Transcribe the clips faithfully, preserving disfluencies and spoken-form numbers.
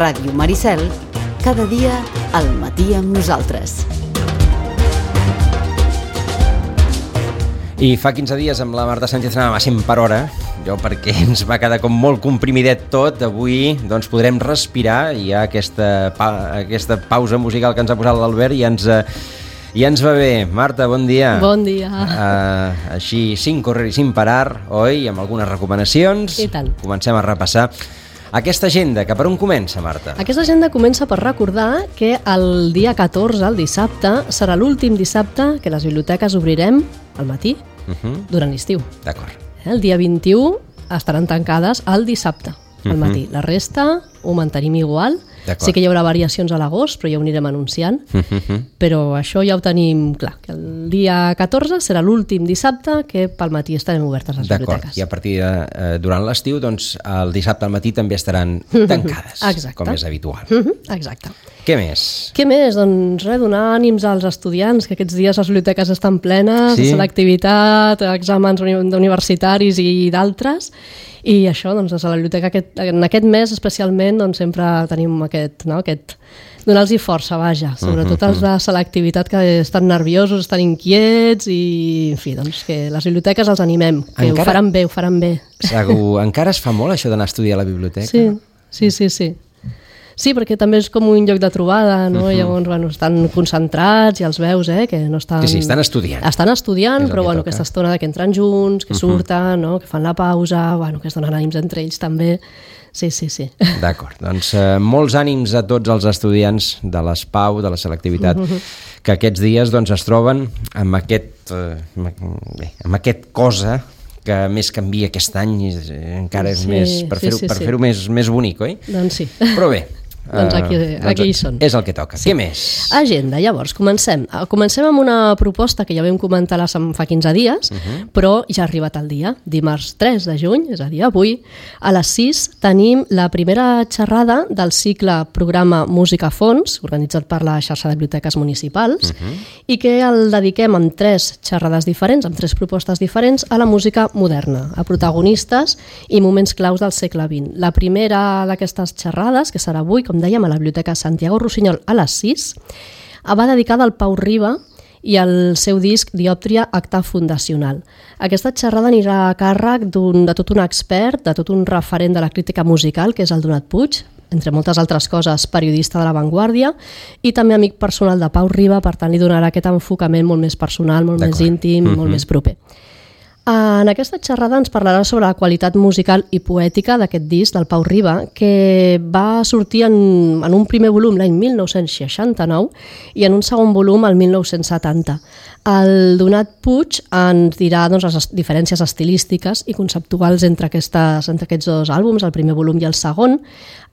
Ràdio Maricel, cada dia al matí amb nosaltres. I fa quinze dies amb la Marta Sánchez anàvem a cent per hora, jo perquè ens va quedar com molt comprimidet tot. Avui doncs podrem respirar, hi ha aquesta, pa, aquesta pausa musical que ens ha posat l'Albert i ens, i ens va bé. Marta, bon dia. Bon dia. Uh, així, sin correr i sin parar, oi? Amb algunes recomanacions. I tant. Comencem a repassar aquesta agenda, que per on comença, Marta? Aquesta agenda comença per recordar que el dia catorze, el dissabte, serà l'últim dissabte que les biblioteques obrirem al matí, uh-huh. durant l'estiu. D'acord. El dia vint-i-u estaran tancades el dissabte, al matí. Uh-huh. La resta ho mantenim igual. Sí que hi haurà variacions a l'agost, però ja ho anirem anunciant. Uh-huh. Però això ja ho tenim clar, que el dia catorze serà l'últim dissabte que pel matí estarem obertes les biblioteques. D'acord, i a partir de eh, durant l'estiu, doncs el dissabte al matí també estaran tancades, uh-huh. com és habitual. Uh-huh. Exacte. Què més? Què més? Doncs res, donar ànims als estudiants, que aquests dies les biblioteques estan plenes, sí? Selectivitat, exàmens universitaris i d'altres, i això, doncs, a la biblioteca aquest, en aquest mes especialment doncs, sempre tenim aquest, no, aquest donar-los força, vaja, sobretot uh-huh. els de selectivitat que estan nerviosos, estan inquiets i, en fi, doncs que les biblioteques els animem, que encara, ho faran bé, ho faran bé. Segur, encara es fa molt això d'anar a estudiar a la biblioteca? Sí, sí, sí, sí. Sí, perquè també és com un lloc de trobada, no? Uh-huh. Llavors, bueno, estan concentrats i els veus, eh, que no estan... Sí, sí, estan estudiant. Estan estudiant, però bueno, aquesta estona que entren junts, que uh-huh. surten, no? Que fan la pausa, bueno, que es donen ànims entre ells també. Sí, sí, sí. D'acord, doncs eh, molts ànims a tots els estudiants de l'ESPAU, de la selectivitat, uh-huh. que aquests dies doncs, es troben amb aquest, eh, bé, amb aquest cosa que més canvia aquest any i encara és sí, més per fer-ho sí, sí, per sí. fer-ho més, més bonic, oi? Doncs sí. Però bé, doncs aquí, aquí hi són. És el que toca. Sí. Què més? Agenda, llavors, comencem. Comencem amb una proposta que ja vam comentar fa quinze dies, uh-huh. però ja ha arribat el dia. Dimarts tres de juny, és a dir, avui, a les sis tenim la primera xerrada del cicle programa Música a Fons, organitzat per la xarxa de biblioteques municipals, uh-huh. i que el dediquem amb tres xerrades diferents, amb tres propostes diferents, a la música moderna, a protagonistes i moments claus del segle vint. La primera d'aquestes xerrades, que serà avui, com dèiem, a la Biblioteca Santiago Rossinyol a les sis, va dedicada al Pau Riba i al seu disc Diòptria, acte fundacional. Aquesta xerrada anirà a càrrec d'un, de tot un expert, de tot un referent de la crítica musical, que és el Donat Puig, entre moltes altres coses, periodista de La Vanguardia i també amic personal de Pau Riba, per tant li donarà aquest enfocament molt més personal, molt més íntim, mm-hmm. molt més proper. En aquesta xerrada ens parlarà sobre la qualitat musical i poètica d'aquest disc del Pau Riba, que va sortir en, en un primer volum l'any mil nou-cents seixanta-nou i en un segon volum el mil nou-cents setanta. El Donat Puig ens dirà doncs, les diferències estilístiques i conceptuals entre, aquestes, entre aquests dos àlbums, el primer volum i el segon,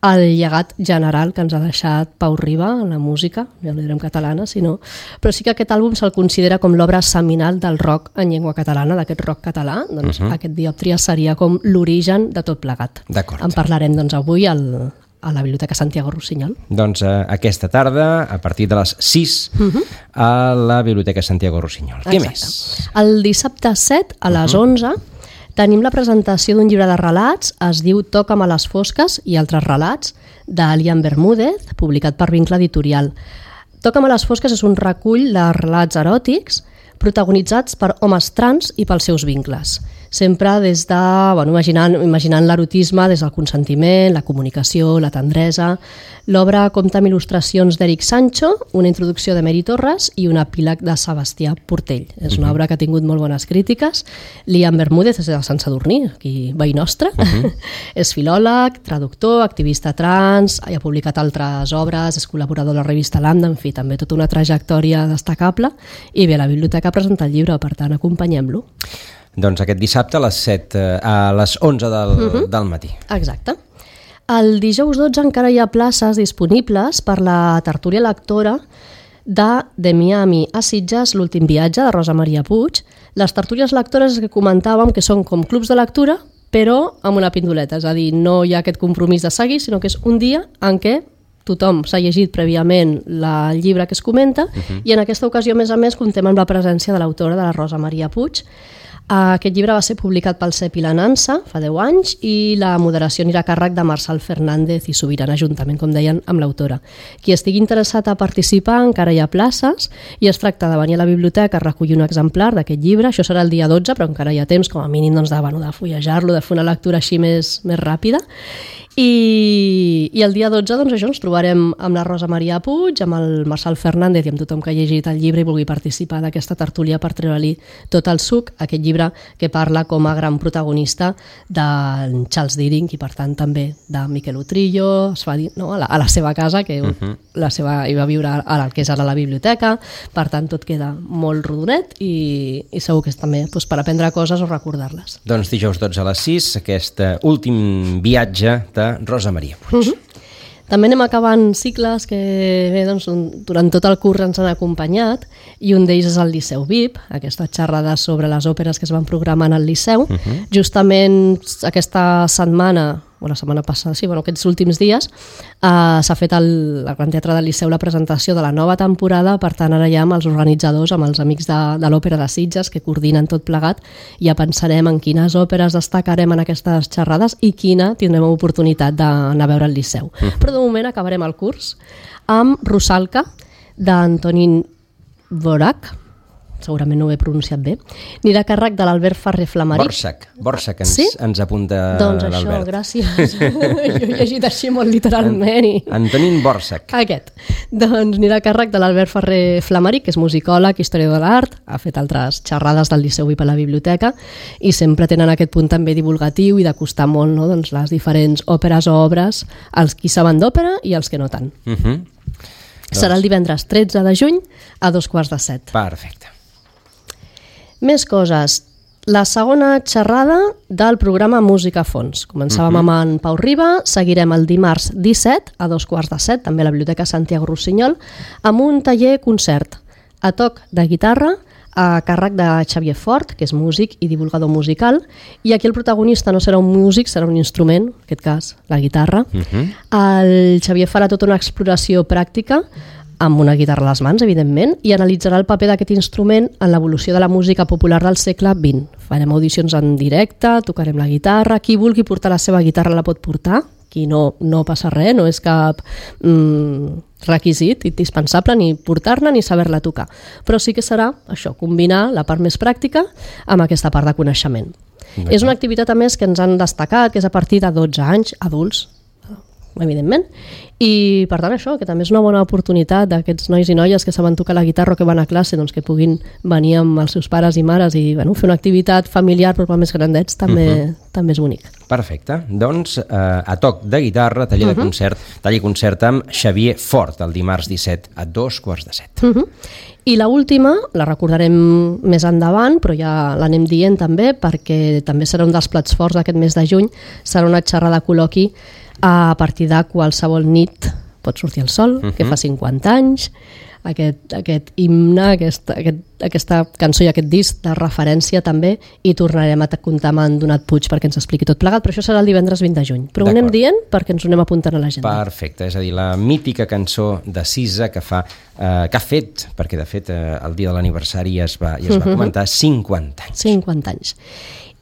el llegat general que ens ha deixat Pau Riba en la música, ja no direm catalana, sinó... però sí que aquest àlbum se'l considera com l'obra seminal del rock en llengua catalana, d'aquest rock català, doncs uh-huh. aquest Diòptria seria com l'origen de tot plegat. D'acord. En parlarem doncs, avui al, a la Biblioteca Santiago Rossinyol. Doncs eh, aquesta tarda, a partir de les sis, uh-huh. a la Biblioteca Santiago Rossinyol. Exacte. Què més? El dissabte set, a les uh-huh. onze, tenim la presentació d'un llibre de relats, es diu Toca'm a les fosques i altres relats, d'Elian Bermúdez, publicat per Vincle Editorial. Toca'm a les fosques és un recull de relats eròtics protagonitzats per homes trans i pels seus vincles. Sempre des de, bueno, imaginant, imaginant l'erotisme des del consentiment, la comunicació, la tendresa. L'obra compta amb il·lustracions d'Eric Sancho, una introducció de Mary Torres i un epíleg de Sebastià Portell. És una obra que ha tingut molt bones crítiques. Liam Bermúdez és de Sant Sadurní, aquí veí nostre. Uh-huh. És filòleg, traductor, activista trans, ha publicat altres obres, és col·laborador de la revista Lambda, en fi, també tota una trajectòria destacable. I bé, la biblioteca presenta el llibre, per tant, acompanyem-lo. Doncs aquest dissabte a les set, a les onze del, uh-huh. del matí. Exacte. El dijous dotze encara hi ha places disponibles per la tertúlia lectora de De Miami a Sitges, l'últim viatge, de Rosa Maria Puig. Les tertúlies lectores que comentàvem que són com clubs de lectura, però amb una pindoleta, és a dir, no hi ha aquest compromís de seguir, sinó que és un dia en què tothom s'ha llegit prèviament el llibre que es comenta uh-huh. i en aquesta ocasió, a més a més, comptem amb la presència de l'autora, de la Rosa Maria Puig. Aquest llibre va ser publicat pel C E P i la Nansa fa deu anys i la moderació anirà a càrrec de Marçal Fernández i Subirana, juntament, com deien, amb l'autora. Qui estigui interessat a participar, encara hi ha places i es tracta de venir a la biblioteca a recollir un exemplar d'aquest llibre. Això serà el dia dotze, però encara hi ha temps, com a mínim, doncs, de, bueno, de fullejar-lo, de fer una lectura així més, més ràpida. I, i el dia dotze doncs, això, ens trobarem amb la Rosa Maria Puig, amb el Marçal Fernández i amb tothom que ha llegit el llibre i vulgui participar d'aquesta tertúlia per treure-li tot el suc, aquest llibre que parla com a gran protagonista de Charles Deering i per tant també de Miquel Utrillo, es va dir, no? a, la, a la seva casa, que uh-huh. la seva, hi va viure a la que és ara la biblioteca, per tant tot queda molt rodonet i, i segur que és també doncs, per aprendre coses o recordar-les. Doncs dijous dotze a les sis, aquest últim viatge de Rosa Maria Puig. Uh-huh. També anem acabant cicles que bé, doncs, durant tot el curs ens han acompanyat i un d'ells és el Liceu V I P, aquesta xerrada sobre les òperes que es van programar en el Liceu. Uh-huh. Justament aquesta setmana, o la setmana passada, sí, bueno, aquests últims dies, eh, s'ha fet al, al Gran Teatre del Liceu la presentació de la nova temporada, per tant ara ja amb els organitzadors, amb els amics de, de l'Òpera de Sitges, que coordinen tot plegat, ja pensarem en quines òperes destacarem en aquestes xerrades i quina tindrem oportunitat d'anar a veure al Liceu. Mm. Però de moment acabarem el curs amb Rusalka, d'Antonín Dvořák, segurament no ho he pronunciat bé, anirà a càrrec de l'Albert Ferrer Flamaric. Borsak, Borsak ens, sí? ens apunta doncs l'Albert. Doncs això, gràcies. Jo he llegit així molt literalment. I... Antonín Dvořák. Aquest. Doncs anirà a càrrec de l'Albert Ferrer Flamaric, que és musicòleg, historiador de l'art, ha fet altres xerrades del Liceu V I P a la biblioteca i sempre tenen aquest punt també divulgatiu i d'acostar molt, no? doncs, les diferents òperes o obres als qui saben d'òpera i als que no tant. Uh -huh. Serà el divendres tretze de juny a dos quarts de set. Perfecte. Més coses. La segona xerrada del programa Música a Fons. Començàvem uh-huh. amb en Pau Riba, seguirem el dimarts disset a dos quarts de set, també a la Biblioteca Santiago Rossinyol, amb un taller-concert a toc de guitarra a càrrec de Xavier Fort, que és músic i divulgador musical, i aquí el protagonista no serà un músic, serà un instrument, en aquest cas la guitarra. Uh-huh. El Xavier farà tota una exploració pràctica amb una guitarra a les mans, evidentment, i analitzarà el paper d'aquest instrument en l'evolució de la música popular del segle vint. Farem audicions en directe, tocarem la guitarra, qui vulgui portar la seva guitarra la pot portar, qui no, no passa res, no és cap mm, requisit indispensable ni portar-la ni saber-la tocar. Però sí que serà això, combinar la part més pràctica amb aquesta part de coneixement. D'acord. És una activitat, a més, que ens han destacat, que és a partir de dotze anys, adults, evidentment, i per tant això, que també és una bona oportunitat d'aquests nois i noies que saben tocar la guitarra o que van a classe, doncs que puguin venir amb els seus pares i mares i bueno, fer una activitat familiar però per més grandets també, uh-huh. també és bonic. Perfecte, doncs eh, a toc de guitarra, taller uh-huh. de concert, taller concert amb Xavier Fort el dimarts disset a dos quarts de set. Uh-huh. I l'última, la recordarem més endavant, però ja l'anem dient també, perquè també serà un dels plats forts d'aquest mes de juny, serà una xerrada col·loqui a partir de qualsevol nit pot sortir el sol, uh-huh. que fa cinquanta anys, aquest, aquest himne, aquest, aquest, aquesta cançó i aquest disc de referència també, i tornarem a comptar amb en Donat Puig perquè ens expliqui tot plegat, però això serà el divendres vint de juny. Però ho anem dient perquè ens ho anem apuntant a l'agenda. Perfecte, és a dir, la mítica cançó de Sisa que fa eh, que ha fet, perquè de fet eh, el dia de l'aniversari ja es va, ja es va uh-huh. comentar, cinquanta anys. cinquanta anys.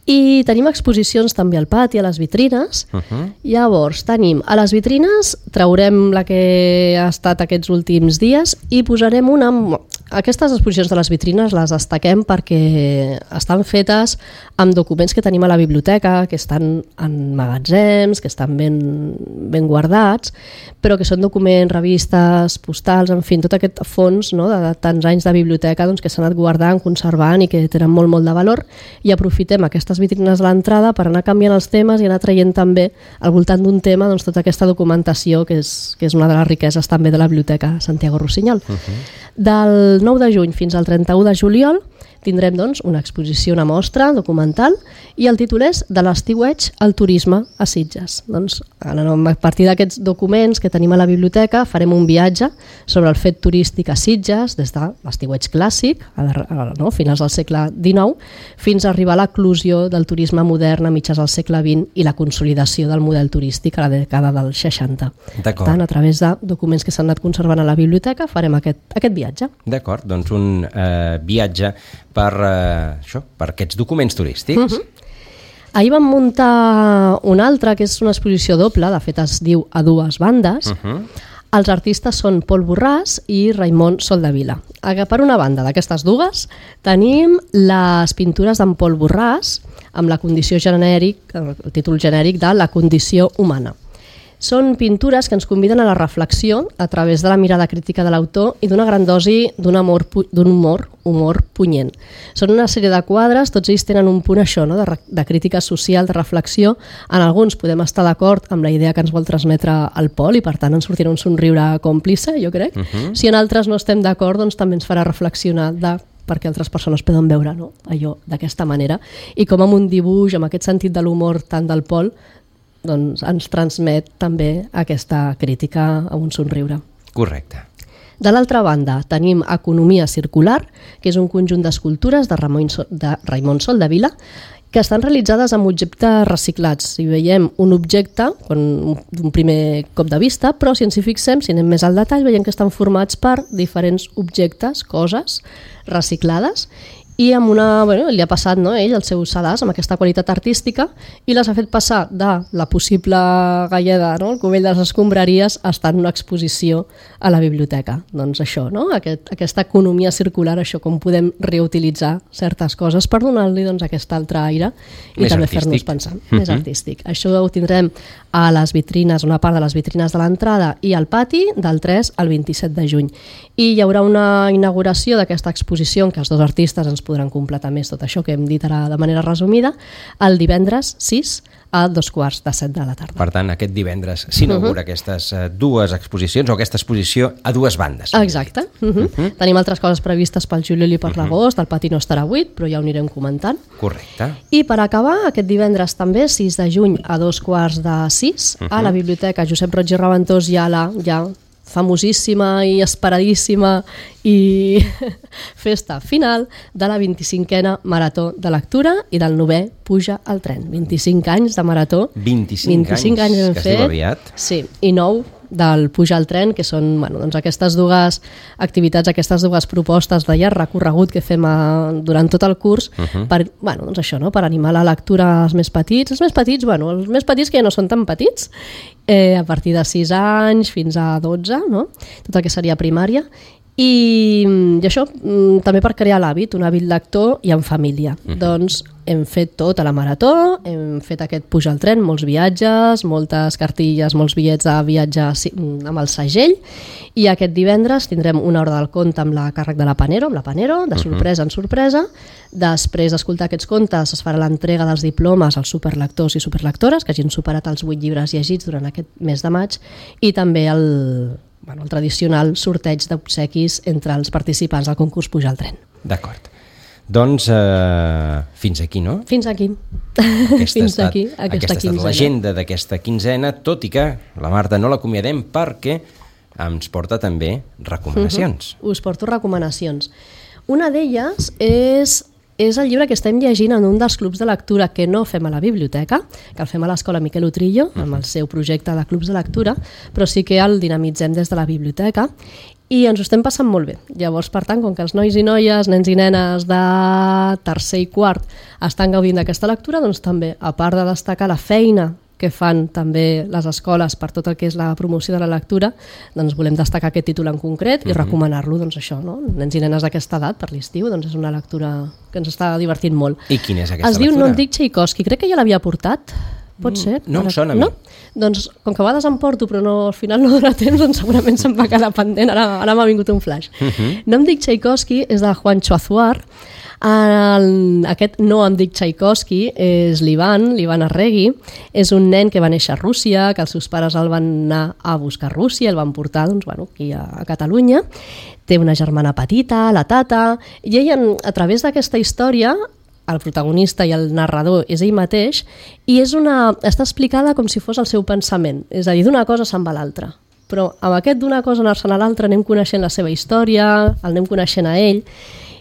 I tenim exposicions també al pati, a les vitrines. Uh-huh. Llavors, tenim a les vitrines, traurem la que ha estat aquests últims dies i posarem una... Aquestes exposicions de les vitrines les destaquem perquè estan fetes amb documents que tenim a la biblioteca, que estan en magatzems, que estan ben, ben guardats, però que són documents, revistes, postals, en fi, tot aquest fons, no, de tants anys de biblioteca doncs, que s'han anat guardant, conservant i que tenen molt, molt de valor, i aprofitem aquestes vitrines de l'entrada per anar canviant els temes i anar traient també al voltant d'un tema doncs, tota aquesta documentació que és, que és una de les riqueses també de la Biblioteca Santiago Rossinyol. Uh-huh. Del nou de juny fins al trenta-u de juliol tindrem doncs, una exposició, una mostra documental, i el títol és De l'estiueig al turisme a Sitges. Doncs, a partir d'aquests documents que tenim a la biblioteca farem un viatge sobre el fet turístic a Sitges des de l'estiueig clàssic, a, a, no, finals del segle dinou, fins a arribar a l'eclosió del turisme modern a mitjans del segle vint i la consolidació del model turístic a la dècada dels seixanta. Per tant, a través de documents que s'han anat conservant a la biblioteca farem aquest, aquest viatge. D'acord, doncs un eh, viatge per, uh, això, per aquests documents turístics. Uh-huh. Ahir vam muntar una altra, que és una exposició doble, de fet es diu A dues bandes. Uh-huh. Els artistes són Pol Borràs i Raimon Soldevila. Per una banda d'aquestes dues tenim les pintures d'en Pol Borràs amb la condició genèric, el títol genèric de La condició humana. Són pintures que ens conviden a la reflexió a través de la mirada crítica de l'autor i d'una gran dosi d'un humor, d'un humor, humor punyent. Són una sèrie de quadres, tots ells tenen un punt això, no? de, de crítica social, de reflexió. En alguns podem estar d'acord amb la idea que ens vol transmetre el Pol i per tant ens sortirà un somriure còmplice, jo crec. Uh-huh. Si en altres no estem d'acord, doncs també ens farà reflexionar de perquè altres persones poden veure, no? allò d'aquesta manera. I com amb un dibuix, amb aquest sentit de l'humor tant del Pol, doncs ens transmet també aquesta crítica a un somriure. Correcte. De l'altra banda, tenim Economia circular, que és un conjunt d'escultures de, de Raimon Soldevila, que estan realitzades amb objectes reciclats. Si veiem un objecte, d'un primer cop de vista, però si ens hi fixem, si anem més al detall, veiem que estan formats per diferents objectes, coses reciclades, i amb una, bueno, li ha passat, no, ell el seu sedàs amb aquesta qualitat artística i les ha fet passar de la possible galleda, no, el cubell de les escombraries, a estar en una exposició a la biblioteca. Doncs això, no? Aquest, aquesta economia circular, això, com podem reutilitzar certes coses per donar-li doncs, aquest altre aire i més també artístic. Fer-nos pensar. Uh-huh. Més artístic. Això ho tindrem a les vitrines, una part de les vitrines de l'entrada i al pati del tres al vint-i-set de juny. I hi haurà una inauguració d'aquesta exposició en què els dos artistes ens podran completar més tot això que hem dit ara de manera resumida, el divendres sis a dos quarts de set de la tarda. Per tant, aquest divendres s'inaugura uh-huh. aquestes uh, dues exposicions o aquesta exposició a dues bandes. Exacte. Uh-huh. Uh-huh. Tenim altres coses previstes pel juliol i per uh-huh. l'agost, el pati no estarà buit, però ja ho anirem comentant. Correcte. I per acabar, aquest divendres també, sis de juny a dos quarts de sis, uh-huh. a la Biblioteca Josep Roig i Raventós hi ha la... Ja, famosíssima i esperadíssima i festa final de la vint-i-cinquena Marató de Lectura i del novè Puja al tren. vint-i-cinc anys de marató. vint-i-cinc, vint-i-cinc anys, anys que es diu aviat. Sí, i nou del Puja al tren, que són bueno, doncs aquestes dues activitats, aquestes dues propostes de llarg recorregut que fem a, durant tot el curs uh-huh. per, bueno, doncs això, no? Per animar la lectura als més petits. Els més petits, bueno, els més petits que ja no són tan petits, eh, a partir de sis anys fins a dotze, no? Tot el que seria primària. I, i això també per crear l'hàbit, un hàbit lector i en família. Uh-huh. Doncs hem fet tot a la marató, hem fet aquest Puja al tren, molts viatges, moltes cartilles, molts bitllets de viatge amb el segell, i aquest divendres tindrem una hora del conte amb la càrrec de la Panero, amb la Panero, de sorpresa en sorpresa. Després d'escoltar aquests contes es farà l'entrega dels diplomes als superlectors i superlectores que hagin superat els vuit llibres llegits durant aquest mes de maig, i també el... Bueno, el tradicional sorteig d'obsequis entre els participants del concurs Puja al tren. D'acord. Doncs eh, fins aquí, no? Fins aquí. Aquesta fins estat, aquí, aquesta, aquesta quinzena. L'agenda d'aquesta quinzena, tot i que la Marta no l'acomiadem perquè ens porta també recomanacions. Uh-huh. Us porto recomanacions. Una d'elles és... és el llibre que estem llegint en un dels clubs de lectura que no fem a la biblioteca, que el fem a l'Escola Miquel Utrillo, amb el seu projecte de clubs de lectura, però sí que el dinamitzem des de la biblioteca i ens ho estem passant molt bé. Llavors, per tant, com que els nois i noies, nens i nenes de tercer i quart estan gaudint d'aquesta lectura, doncs també, a part de destacar la feina que fan també les escoles per tot el que és la promoció de la lectura, doncs volem destacar aquest títol en concret i recomanar-lo, doncs això, no? Nens i nenes d'aquesta edat per l'estiu, doncs és una lectura que ens està divertint molt. I quina és aquesta es lectura? Es diu No em dic Tchaikovsky, crec que ja l'havia portat, pot ser? No em sona a mi. No? Doncs com que a vegades em porto però no, al final no dona temps, doncs segurament se'm va quedar pendent, ara, ara m'ha vingut un flash. Uh-huh. No em dic Tchaikovsky és de Juancho Azuar. El, aquest No em dic Tchaikovsky és l'Ivan, l'Ivan Arregui, és un nen que va néixer a Rússia, que els seus pares el van anar a buscar a Rússia, el van portar doncs, bueno, aquí a, a Catalunya, té una germana petita, la Tata, i ell a través d'aquesta història, el protagonista i el narrador és ell mateix, i és una, està explicada com si fos el seu pensament, és a dir, d'una cosa se'n va a l'altra. Però amb aquest d'una cosa anar-se'n a l'altra anem coneixent la seva història, el anem coneixent a ell.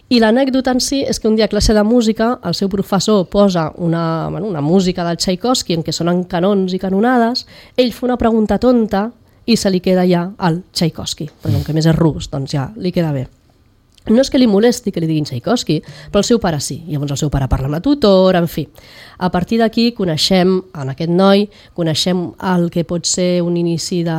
I l'anècdota en si és que un dia a classe de música el seu professor posa una, bueno, una música del Tchaikovsky en què sonen canons i canonades, ell fa una pregunta tonta i se li queda ja el Tchaikovsky, però com que més és rus, doncs ja li queda bé. No és que li molesti que li diguin Tchaikovsky, però el seu pare sí. Llavors el seu pare parla amb la tutora, en fi. A partir d'aquí coneixem, en aquest noi, coneixem el que pot ser un inici de,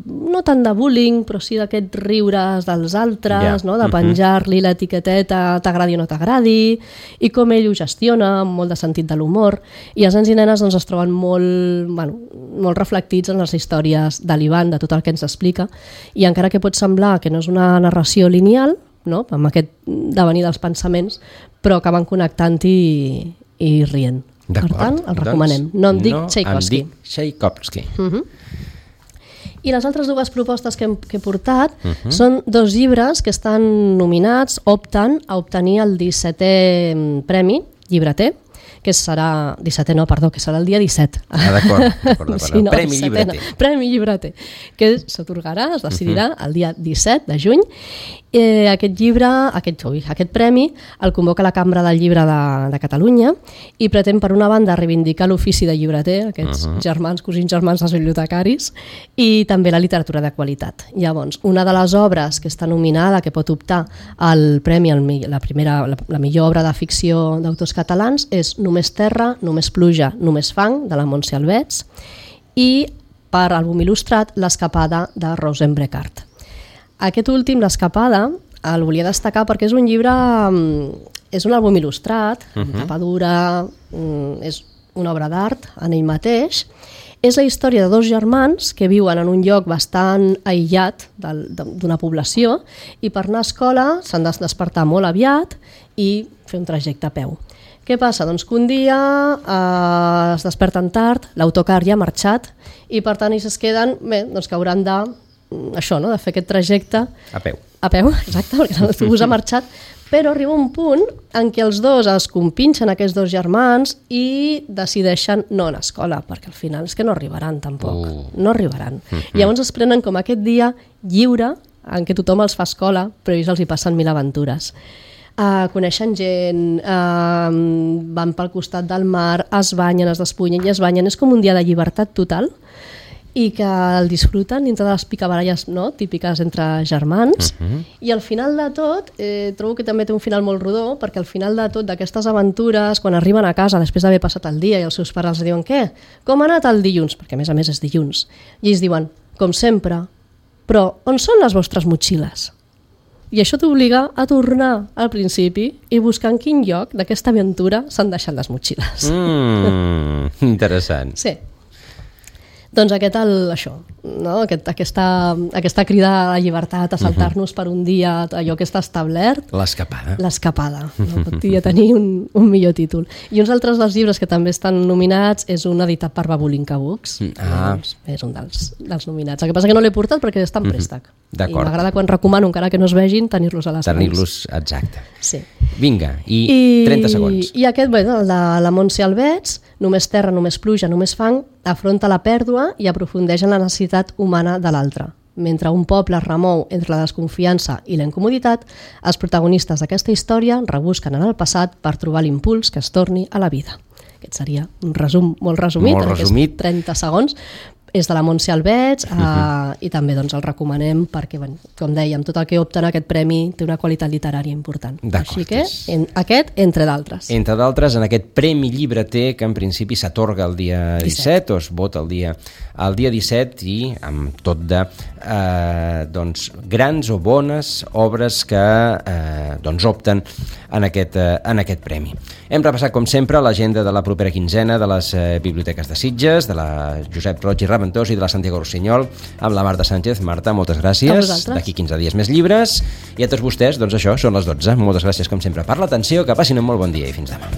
no tant de bullying, però sí d'aquests riures dels altres, yeah. no? De penjar-li l'etiqueteta t'agradi o no t'agradi, i com ell ho gestiona, amb molt de sentit de l'humor. I els nens i nenes doncs, es troben molt, bueno, molt reflectits en les històries de l'Ivan, de tot el que ens explica, i encara que pot semblar que no és una narració lineal, no? Amb aquest devenir dels pensaments, però acaben connectant i, i rient. Per tant, el recomanem. Doncs, no em dic no Tchaikovsky. Em dic Tchaikovsky. Uh-huh. I les altres dues propostes que hem, que he portat uh-huh. són dos llibres que estan nominats, opten a obtenir el dissetè Premi Llibreter, que serà, dissetè no, perdó, que serà el dia disset. Ah, d'acord, d'acord, d'acord. Sí, no, Premi Llibreter. No. Premi Llibreter, que s'atorgarà, es decidirà uh-huh. el dia disset de juny. Eh, aquest llibre, aquest, ui, aquest premi, el convoca la Cambra del Llibre de, de Catalunya i pretén, per una banda, reivindicar l'ofici de llibreter, aquests uh-huh. germans, cosins germans dels bibliotecaris, i també la literatura de qualitat. Llavors, una de les obres que està nominada, que pot optar al premi, al, la, primera, la, la millor obra de ficció d'autors catalans, és Només terra, només pluja, només fang, de la Montse Albets, i per àlbum il·lustrat, L'escapada, de Rosenbrekart. Aquest últim, L'escapada, el volia destacar perquè és un llibre, és un àlbum il·lustrat, uh-huh. amb tapa dura, és una obra d'art en ell mateix. És la història de dos germans que viuen en un lloc bastant aïllat d'una població i per anar a escola s'han de despertar molt aviat i fer un trajecte a peu. Què passa? Doncs que un dia eh, es desperten tard, l'autocar ja ha marxat i per tant ells es queden, bé, doncs que hauran de, això, no? De fer aquest trajecte a peu. A peu, exacte, perquè l'autobús ha marxat, però arriba un punt en què els dos es compinxen, aquests dos germans, i decideixen no anar a escola, perquè al final és que no arribaran tampoc, uh. no arribaran. Uh-huh. I llavors es prenen com aquest dia lliure en què tothom els fa escola, però ells els hi passen mil aventures. Uh, coneixen gent, uh, van pel costat del mar, es banyen, es despullen i es banyen. És com un dia de llibertat total i que el disfruten dintre de les picabaralles, no? Típiques entre germans. Uh-huh. I al final de tot, eh, trobo que també té un final molt rodó, perquè al final de tot d'aquestes aventures, quan arriben a casa després d'haver passat el dia i els seus pares els diuen què? Com ha anat el dilluns? Perquè a més a més és dilluns. I ells diuen, com sempre, però on són les vostres motxilles? I això t'obliga a tornar al principi i buscar en quin lloc d'aquesta aventura s'han deixat les motxilles. Mm, interessant. Sí. Doncs aquest, el, això, no? aquest, aquesta, aquesta crida a la llibertat, a saltar-nos uh-huh. per un dia allò que està establert. L'escapada. L'escapada. No podria tenir un, un millor títol. I uns altres dels llibres que també estan nominats és un editat per Babulinka Books. Ah. Doncs és un dels, dels nominats. El que passa que no l'he portat perquè està en préstec. Uh-huh. I m'agrada quan recomano, encara que no es vegin, tenir-los a les mans. Tenir-los, exacte. Sí. Vinga, i, I trenta segons. I aquest, bé, el de la Montse Albets, Només terra, només pluja, només fang, afronta la pèrdua i aprofundeix en la necessitat humana de l'altre. Mentre un poble es remou entre la desconfiança i la incomoditat, els protagonistes d'aquesta història rebusquen en el passat per trobar l'impuls que es torni a la vida. Aquest seria un resum molt resumit, molt resumit. trenta segons. És de la Montse Albets uh, uh-huh. i també doncs, el recomanem perquè, bueno, com dèiem, tot el que opta en aquest premi té una qualitat literària important. Així que en, aquest, entre d'altres. Entre d'altres, en aquest Premi Llibreter que en principi s'atorga el dia disset, o es vota el dia, el dia disset i amb tot de eh, doncs, grans o bones obres que eh, doncs, opten en aquest, eh, en aquest premi. Hem repassat, com sempre, l'agenda de la propera quinzena de les eh, biblioteques de Sitges, de la Josep Roig i Raventós i de la Santiago Rossinyol, amb la Marta Sánchez. Marta, moltes gràcies. D'aquí quinze dies més llibres. I a tots vostès, doncs això, són les dotze. Moltes gràcies, com sempre, per l'atenció, que passin un molt bon dia i fins demà.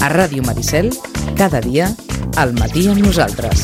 A Ràdio Maricel, cada dia, al matí amb nosaltres.